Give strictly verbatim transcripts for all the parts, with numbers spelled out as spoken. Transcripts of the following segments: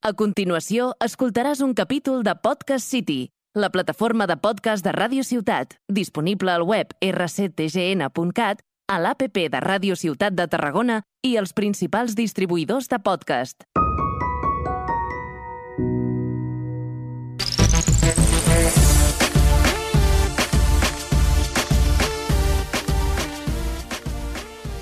A continuació, escoltaràs un capítol de Podcast City, la plataforma de podcast de Ràdio Ciutat, disponible al web erre ce te ge ene punt cat, a l'A P P de Ràdio Ciutat de Tarragona i els principals distribuïdors de podcast.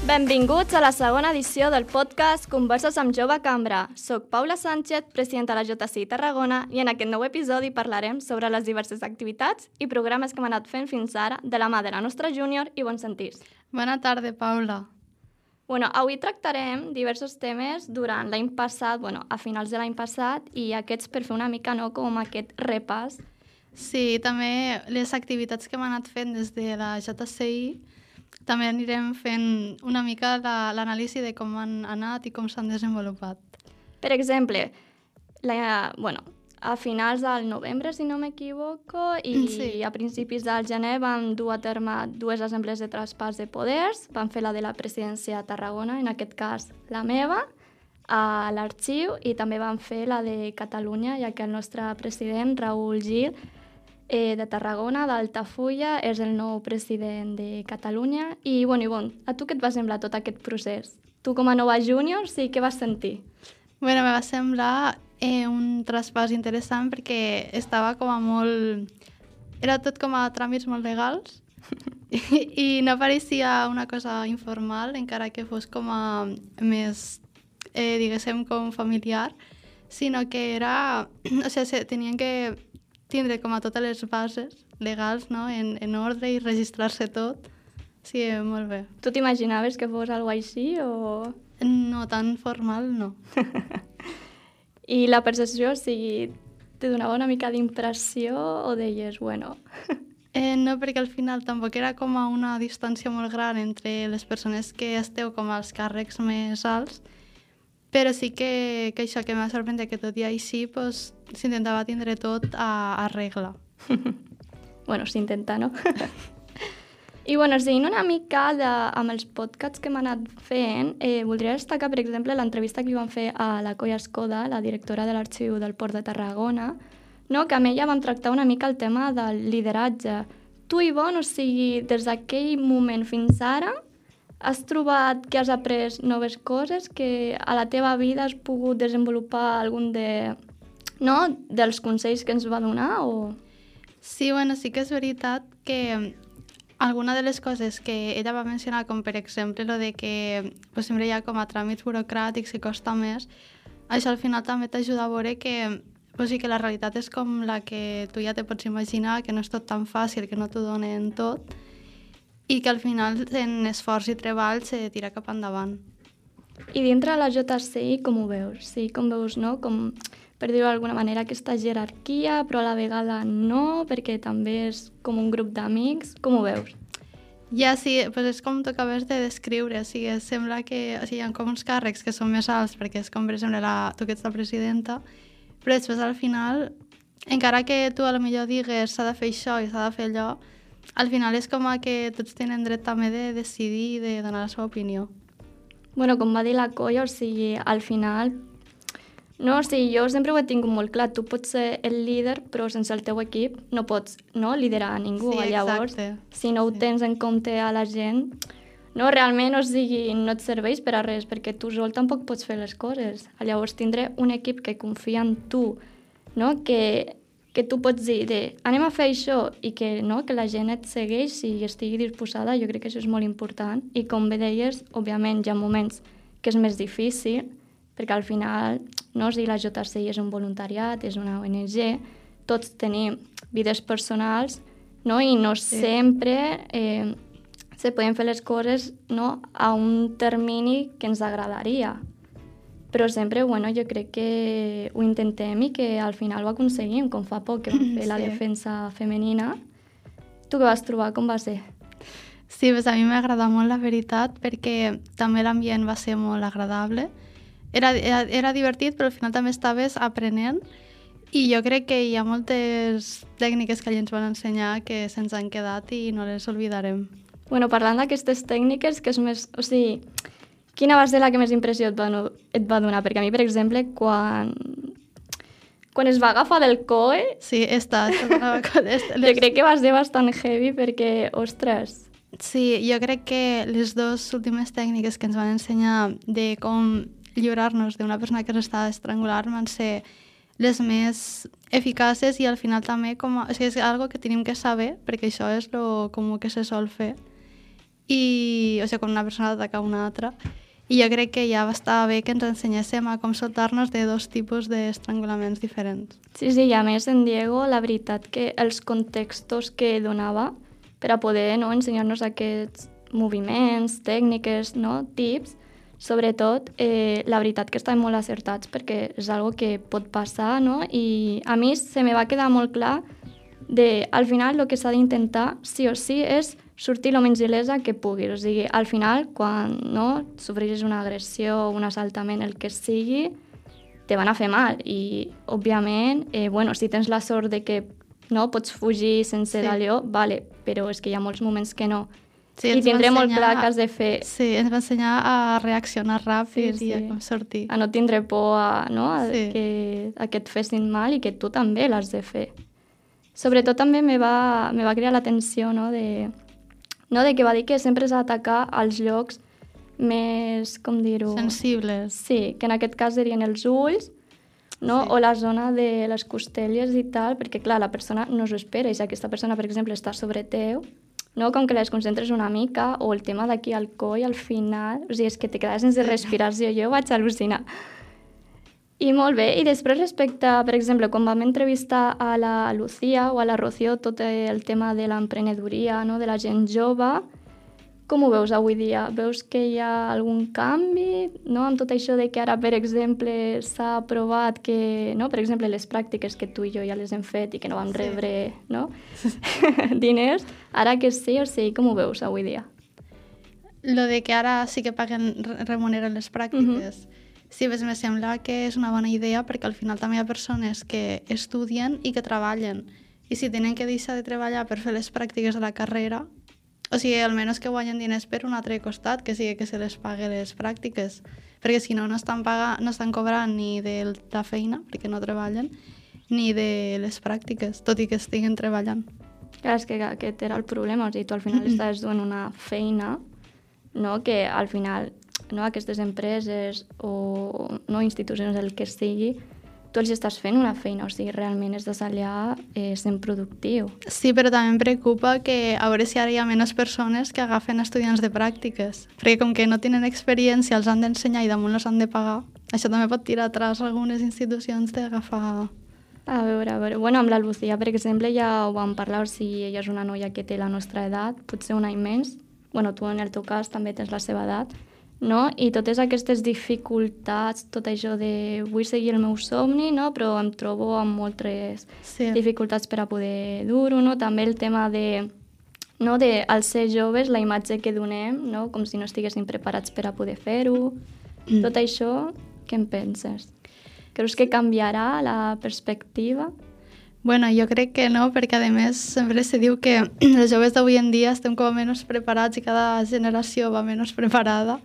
Benvinguts a la segona edició del podcast Converses amb Jove Cambra. Soc Paula Sánchez, presidenta de la J C I Tarragona, i en aquest nou episodi parlarem sobre les diverses activitats i programes que hem anat fent fins ara de la mà de la nostra júnior i bons sentirs. Bona tarda, Paula. Bueno, avui tractarem diversos temes durant l'any passat, bueno, a finals de l'any passat, i aquests per fer una mica, no, com aquest repàs. Sí, també les activitats que hem anat fent des de la J C I, també anirem fent una mica l'anàlisi de com han anat i com s'han desenvolupat. Per exemple, la, bueno, a finals del novembre, si no m'equivoco, i sí. a principis del gener vam dur a terme dues assemblees de traspàs de poders. Vam fer la de la presidència de Tarragona, en aquest cas la meva, a l'arxiu, i també vam fer la de Catalunya, ja que el nostre president, Raül Gil, Eh, de Tarragona, d'Altafulla, és el nou president de Catalunya. I, bueno, Ivonne, a tu què et va semblar tot aquest procés? Tu com a nova júnior, sí, què vas sentir? Bueno, me va semblar eh, un traspàs interessant perquè estava com a molt... Era tot com a tràmits molt legals i, i no pareixia una cosa informal, encara que fos com a més, eh, diguéssim, com familiar, sinó que era... O sigui, tenien que tindre com a totes les bases legals, no?, en, en ordre i registrar-se tot. Sí, molt bé. Tu t'imaginaves que fos alguna així o...? No, tan formal no. I la percepció, o sigui, te donava una mica d'impressió o deies, bueno... eh, no, perquè al final tampoc era com a una distància molt gran entre les persones que esteu com als càrrecs més alts, però sí que, que això que m'ha sorprès que tot i així pues, s'intentava tindre tot a, a regla. Bueno, s'intenta, no? I bueno, seguint una mica de, amb els podcasts que hem anat fent, eh, voldria destacar, per exemple, l'entrevista que li vam fer a la Colla Escoda, la directora de l'Arxiu del Port de Tarragona, no? Que amb ella vam tractar una mica el tema del lideratge. Tu, Ivonne, o sigui, des d'aquell moment fins ara, has trobat que has après noves coses, que a la teva vida has pogut desenvolupar algun de, no, dels consells que ens va donar? O... Sí, bueno, sí que és veritat que alguna de les coses que ella va mencionar, com per exemple lo de que pues, sempre hi ha com a tràmits burocràtics i costa més, això al final també t'ajuda a veure que, pues, sí, que la realitat és com la que tu ja te pots imaginar, que no és tot tan fàcil, que no t'ho donen tot, i que al final en esforç i treball se tira cap endavant. I dintre de la J C I com ho veus? Sí, com veus, no? Com, per dir-ho d'alguna manera, aquesta jerarquia, però a la vegada no, perquè també és com un grup d'amics. Com ho veus? Ja, sí, pues és com tu acabes de descriure, o sigui, sembla que o sigui, hi ha com uns càrrecs que són més alts, perquè és com, per exemple, la, tu que ets la presidenta, però després al final, encara que tu a lo millor digues s'ha de fer això i s'ha de fer allò, al final és com que tots tenen dret també de decidir i de donar la seva opinió. Bueno, com va dir la Colla, o sigui, al final... No, o sigui, jo sempre ho he tingut molt clar. Tu pots ser el líder, però sense el teu equip no pots, no, liderar a ningú. Sí, llavors, exacte. Si no ho sí. tens en compte a la gent, no, realment, o sigui, no et serveix per a res, perquè tu sol tampoc pots fer les coses. Llavors, tindré un equip que confia en tu, no?, que... que tu pots dir, de, anem a fer això, i que, no, que la gent et segueix i estigui disposada, jo crec que això és molt important. I com bé deies, òbviament hi ha moments que és més difícil, perquè al final, no, si la J C I és un voluntariat, és una O N G, tots tenim vides personals, no, i no sí. sempre eh, se poden fer les coses, no, a un termini que ens agradaria. Però sempre, bueno, jo crec que ho intentem i que al final ho aconseguim, com fa poc que vam fer sí. la defensa femenina. Tu què vas trobar? Com va ser? Sí, pues a mi m'ha agradat molt, la veritat, perquè també l'ambient va ser molt agradable. Era, era, era divertit, però al final també estaves aprenent, i jo crec que hi ha moltes tècniques que ens van ensenyar que se'ns han quedat i no les oblidarem. Bueno, parlant d'aquestes tècniques, que és més... O sigui, quina va ser la que més impressió et va, et va donar? Perquè a mi, per exemple, quan quan es va agafar del coll, Sí, està. jo crec que va ser bastant heavy perquè, ostres... Sí, jo crec que les dues últimes tècniques que ens van ensenyar de com lliurar-nos d'una persona que s'estava estrangulant van ser les més eficaces i al final també com a, o sigui, és algo que tenim que saber perquè això és lo comú que se sol fer i, o sigui, quan una persona ataca una altra i jo crec que ja va estar bé que ens ensenyéssim a com soltar-nos de dos tipus d'estrangulaments diferents. Sí, sí, i a més en Diego, la veritat que els contextos que donava per a poder no, ensenyar-nos aquests moviments, tècniques, no, tips, sobretot, eh, la veritat que estaven molt acertats perquè és algo que pot passar, no? I a mi se me va quedar molt clar de, al final, el que s'ha d'intentar, sí o sí, és sortir el menys il·lesa que puguis. O sigui, al final, quan no, sofreixes una agressió, un assaltament, el que sigui, te van a fer mal. I, òbviament, eh, bueno, si tens la sort de que no pots fugir sense Sí. d'allò, vale, però és que hi ha molts moments que no. Sí, I ens va tindré molt ensenyar- clar que has de fer, Sí, ens va ensenyar a reaccionar ràpid Sí, sí. i a com sortir. a no tindre por a, no, a, Sí. que, a que et fessin mal i que tu també l'has de fer. Sobretot també me va, me va crear l'atenció no, de, no, de que va dir que sempre s'ha d'atacar als llocs més, com dir-ho... Sensibles. Sí, que en aquest cas serien els ulls, no? Sí. O la zona de les costelles i tal, perquè clar, la persona no s'ho espera i si aquesta persona, per exemple, està sobre teu, no? Com que les concentres una mica, o el tema d'aquí al coll, al final, o sigui, és que te quedes sense respiració, jo vaig al·lucinar. I molt bé, i després respecte, per exemple, quan vam entrevistar a la Lucía o a la Rocío tot el tema de l'emprenedoria, no? De la gent jove, com ho veus avui dia? Veus que hi ha algun canvi, no? Amb tot això de que ara, per exemple, s'ha aprovat que, no? Per exemple, les pràctiques que tu i jo ja les hem fet i que no vam Sí. rebre, no? diners, ara que sí, o sigui, com ho veus avui dia? Lo de que ara sí que paguen, re- remuneren les pràctiques. Sí, pues me sembla que és una bona idea perquè al final també hi ha persones que estudien i que treballen. I si tenen que deixar de treballar per fer les pràctiques de la carrera, o sigui, almenys que guanyen diners per un altre costat, que sigui que se les pague les pràctiques. Perquè si no, no estan, paga, no estan cobrant ni de la feina, perquè no treballen, ni de les pràctiques, tot i que estiguen treballant. Clar, és que aquest era el problema, o sigui, tu al final estaves duent una feina, no? Que al final, no, aquestes empreses o no, institucions, el que sigui, tu els estàs fent una feina, o sigui, realment estàs allà eh, sent productiu. Sí, però també em preocupa que a veure si ara hi ha menys persones que agafen estudiants de pràctiques, perquè com que no tenen experiència, els han d'ensenyar i damunt els han de pagar, això també pot tirar atrás algunes institucions d'agafar... A veure, a veure, bueno, amb la Lucía, per exemple, ja ho vam parlar, o sigui, ella és una noia que té la nostra edat, potser un any més, bueno, tu en el teu cas també tens la seva edat, no? I totes aquestes dificultats, tot això de vull seguir el meu somni, no? Però em trobo amb moltes Sí. dificultats per a poder dur-ho, no? També el tema de, no? de al ser joves, la imatge que donem, no? Com si no estiguessin preparats per a poder fer-ho. Mm. Tot això, què en penses? Creus que canviarà la perspectiva? Bueno, jo crec que no, perquè a més sempre se diu que els joves d'avui en dia estem com a menys preparats i cada generació va menys preparada.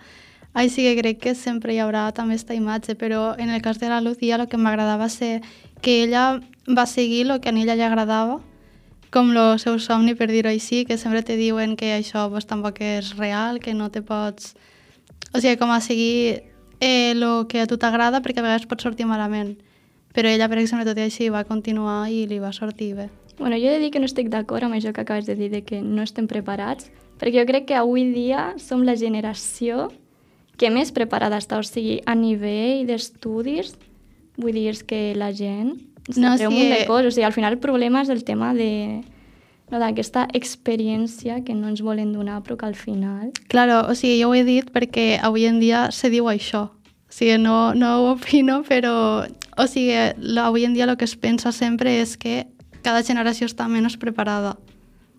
Així que crec que sempre hi haurà també aquesta imatge, però en el cas de la Lucía el que m'agradava ser que ella va seguir el que a ella li agradava, com el seu somni, per dir-ho així, que sempre te diuen que això pues, tampoc és real, que no te pots... O sigui, com a seguir el eh, que a tu t'agrada, perquè a vegades pot sortir malament. Però ella, per exemple, tot i així va continuar i li va sortir bé. Bueno, jo he de dir que no estic d'acord amb això que acabes de dir, de que no estem preparats, perquè jo crec que avui dia som la generació que més preparada està, o sigui, a nivell d'estudis, vull dir, és que la gent No, no, sí, un sí, munt de eh, coses, o sigui, al final el problema és el tema de no, d'aquesta experiència que no ens volen donar, però que al final... Claro, o sigui, jo ho he dit perquè avui en dia se diu això. O sigui, no, no ho opino, però... O sigui, lo, avui en dia el que es pensa sempre és que cada generació està menys preparada.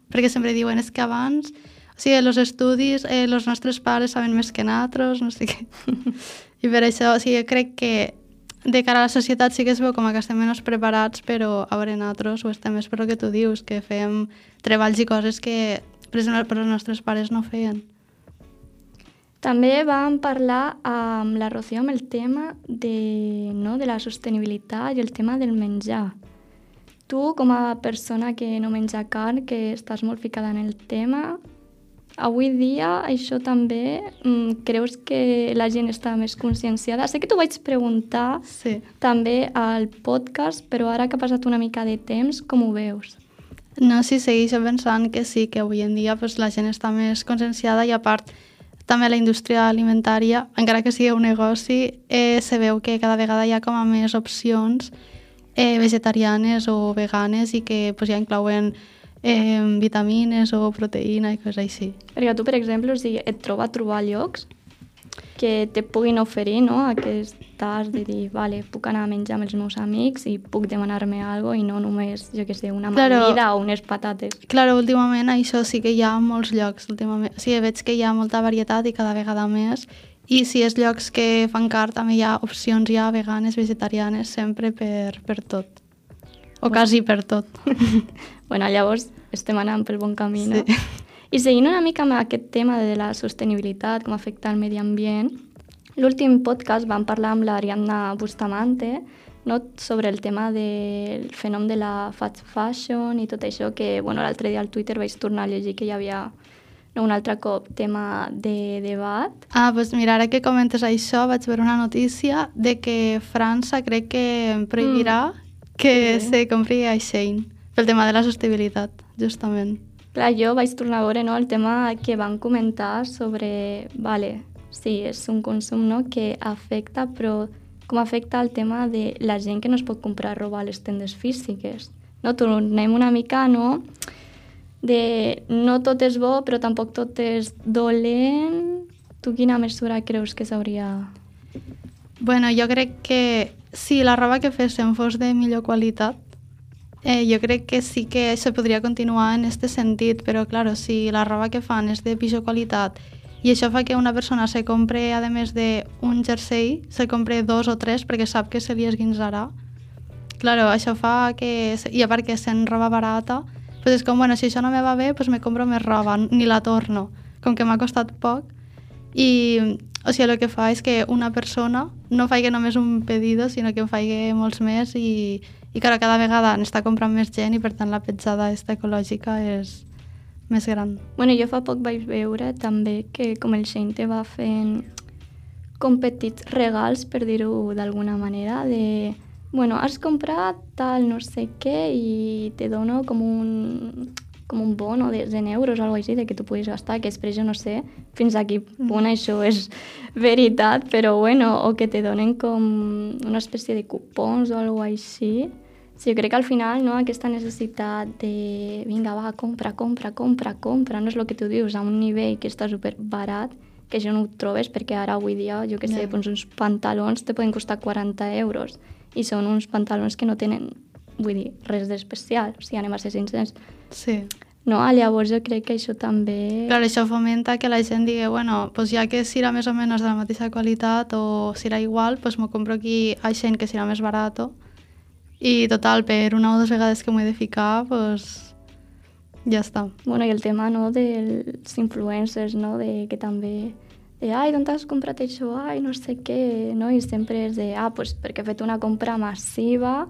Perquè sempre diuen, és que abans... O sigui, els estudis, eh, els nostres pares saben més que nosaltres, no sé què. I per això, o sigui, crec que de cara a la societat sí que es veu com que estem menys preparats, però a veure, nosaltres ho estem més per el que tu dius, que fem treballs i coses que, per exemple, per els nostres pares no feien. També vam parlar amb la Rocío amb el tema de, no, de la sostenibilitat i el tema del menjar. Tu, com a persona que no menja carn, que estàs molt ficada en el tema, avui dia això també mm, creus que la gent està més conscienciada? Sé que t'ho vaig preguntar Sí. també al podcast, però ara que ha passat una mica de temps, com ho veus? No, sí, segueixo pensant que sí, que avui en dia pues, la gent està més conscienciada i a part també la indústria alimentària, encara que sigui un negoci, eh, se veu que cada vegada hi ha com a més opcions eh, vegetarianes o veganes i que pues, ja inclouen eh, vitamines o proteïna i coses així. Perquè tu, per exemple, o sigui, et troba a trobar llocs que te puguin oferir, no?, aquest tas de dir, vale, puc anar a menjar amb els meus amics i puc demanar-me alguna cosa i no només, jo què sé, una Claro. amanida o unes patates. Claro, últimament això sí que hi ha a molts llocs. Últimament. O sigui, veig que hi ha molta varietat i cada vegada més. I si és llocs que fan carn, també hi ha opcions ja veganes, vegetarianes, sempre per, per tot. O quasi per tot. Bueno, llavors estem anant pel bon camí, no? Sí. I seguint una mica amb aquest tema de la sostenibilitat, com afecta el medi ambient, l'últim podcast vam parlar amb l'Ariadna Bustamante, no?, sobre el tema del fenomen de la fast fashion i tot això, que bueno, l'altre dia al Twitter vaig tornar a llegir que hi havia no, un altre cop tema de debat. Ah, doncs mira, ara que comentes això, vaig veure una notícia de que França crec que prohibirà mm. que Sí. se compri a Shein pel tema de la sostenibilitat, justament. Clar, jo vaig tornar a veure, no, el tema que van comentar sobre, vale, sí, és un consum, no?, que afecta, però com afecta el tema de la gent que no es pot comprar roba a les tendes físiques. No, tornem una mica, no?, de no tot és bo, però tampoc tot és dolent. Tu quina mesura creus que s'hauria... Bueno, jo crec que si la roba que féssim fos de millor qualitat, eh, jo crec que sí que se podria continuar en aquest sentit, però claro, si la roba que fan és de pitjor qualitat i això fa que una persona se compre, a més d'un jersei, se compre dos o tres perquè sap que se li esguinçarà. Claro, això fa que... I a part que sent roba barata, pues és com, bueno, si això no me va bé, pues me compro més roba, ni la torno. Com que m'ha costat poc. I, o sigui, el que fa és que una persona no faci només un pedido, sinó que en faci molts més i, i clar, cada vegada n'està comprant més gent i per tant la petjada esta ecològica és més gran. Bueno, jo fa poc vaig veure també que com el Shein te va fent com petits regals, per dir-ho d'alguna manera, de, bueno, has comprat tal no sé què i te dono com un, com un bono de cent euros o alguna cosa així, de que tu puguis gastar, que després jo no sé fins a quin punt mm. això és veritat, però bueno, o que te donen com una espècie de cupons o alguna cosa així. Sí, jo crec que al final, no, aquesta necessitat de vinga, va, compra, compra, compra, compra, no és el que tu dius, a un nivell que està super barat, que això no ho trobes perquè ara avui dia, jo què sé, yeah. doncs uns pantalons te poden costar quaranta euros i són uns pantalons que no tenen, vull dir, res d'especial, o sigui, anem a ser sincers. Sí. No, llavors jo crec que això també... Clar, això fomenta que la gent digui, bueno, pues ja que serà més o menys de la mateixa qualitat o serà igual, pues m'ho compro aquí a Shein que serà més barat. I total, per una o dues vegades que m'ho he de ficar, pues ja està. Bueno, i el tema, no, dels influencers, no, de que també... De, ai, d'on t'has comprat això? Ai, no sé què, no? I sempre és de, ah, pues perquè he fet una compra massiva,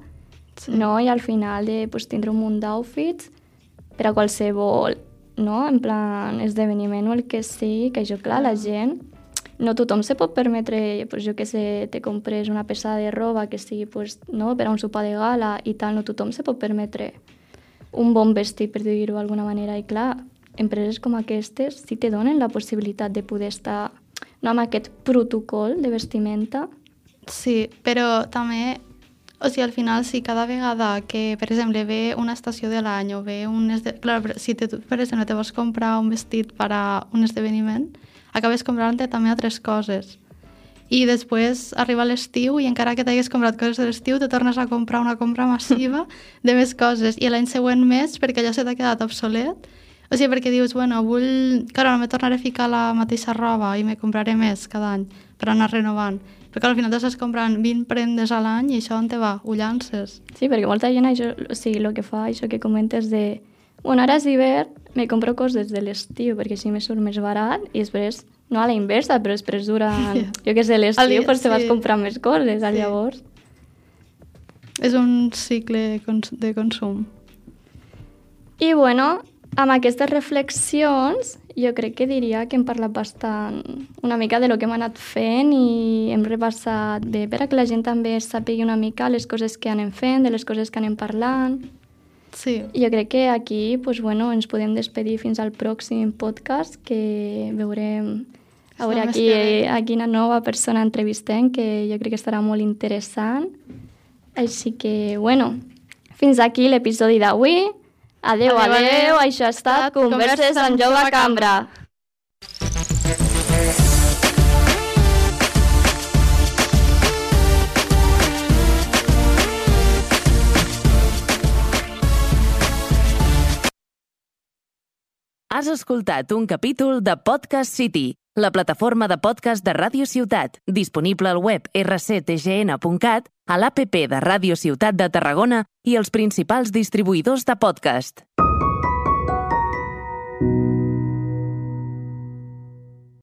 sí. No? I al final de pues, tindre un munt d'outfits per a qualsevol, no? En plan, esdeveniment o el que sigui, que això, clar, la gent... No tothom se pot permetre, pues, jo que sé, te compres una peça de roba que sigui pues, no, per a un sopar de gala i tal, no tothom se pot permetre un bon vestit, per dir-ho d'alguna manera. I clar, empreses com aquestes sí te donen la possibilitat de poder estar no, amb aquest protocol de vestimenta. Sí, però també, o sigui, al final, si cada vegada que, per exemple, ve una estació de l'any o ve un... Esde... Clar, si te, per exemple, te vols comprar un vestit per a un esdeveniment, acabes comprant-te també altres coses. I després arriba l'estiu i encara que t'hagués comprat coses de l'estiu, te tornes a comprar una compra massiva de més coses. I l'any següent més, perquè allò se t'ha quedat obsolet. O sigui, perquè dius, bueno, vull... Claro, no me tornaré a ficar la mateixa roba i me compraré més cada any per anar renovant. Perquè al final t'estàs comprant vint prendes a l'any i això on te va? Ho llances. Sí, perquè molta gent, això, o sigui, el que fa, això que comentes de... Bueno, ara és hivern, me compro coses de l'estiu perquè així me surt més barat i després no a la inversa, però després durant, jo què sé, l'estiu, pues te vas comprar més coses, sí. Llavors. És un cicle de consum. I bueno, amb aquestes reflexions, jo crec que diria que hem parlat bastant una mica de lo que hem anat fent i hem repassat bé per a que la gent també sàpigui una mica les coses que anem fent, de les coses que anem parlant. Sí. Jo crec que aquí pues, bueno, ens podem despedir fins al pròxim podcast, que veurem a veure aquí, a quina nova persona entrevistem, que jo crec que estarà molt interessant. Així que, bueno, fins aquí l'episodi d'avui. Adeu, adeu, adeu, adeu, això ha estat Converses amb Jove Cambra. Has escoltat un capítol de Podcast City, la plataforma de podcast de Ràdio Ciutat, disponible al web erre ce te ge ene punt cat, a l'A P P de Ràdio Ciutat de Tarragona i els principals distribuïdors de podcast.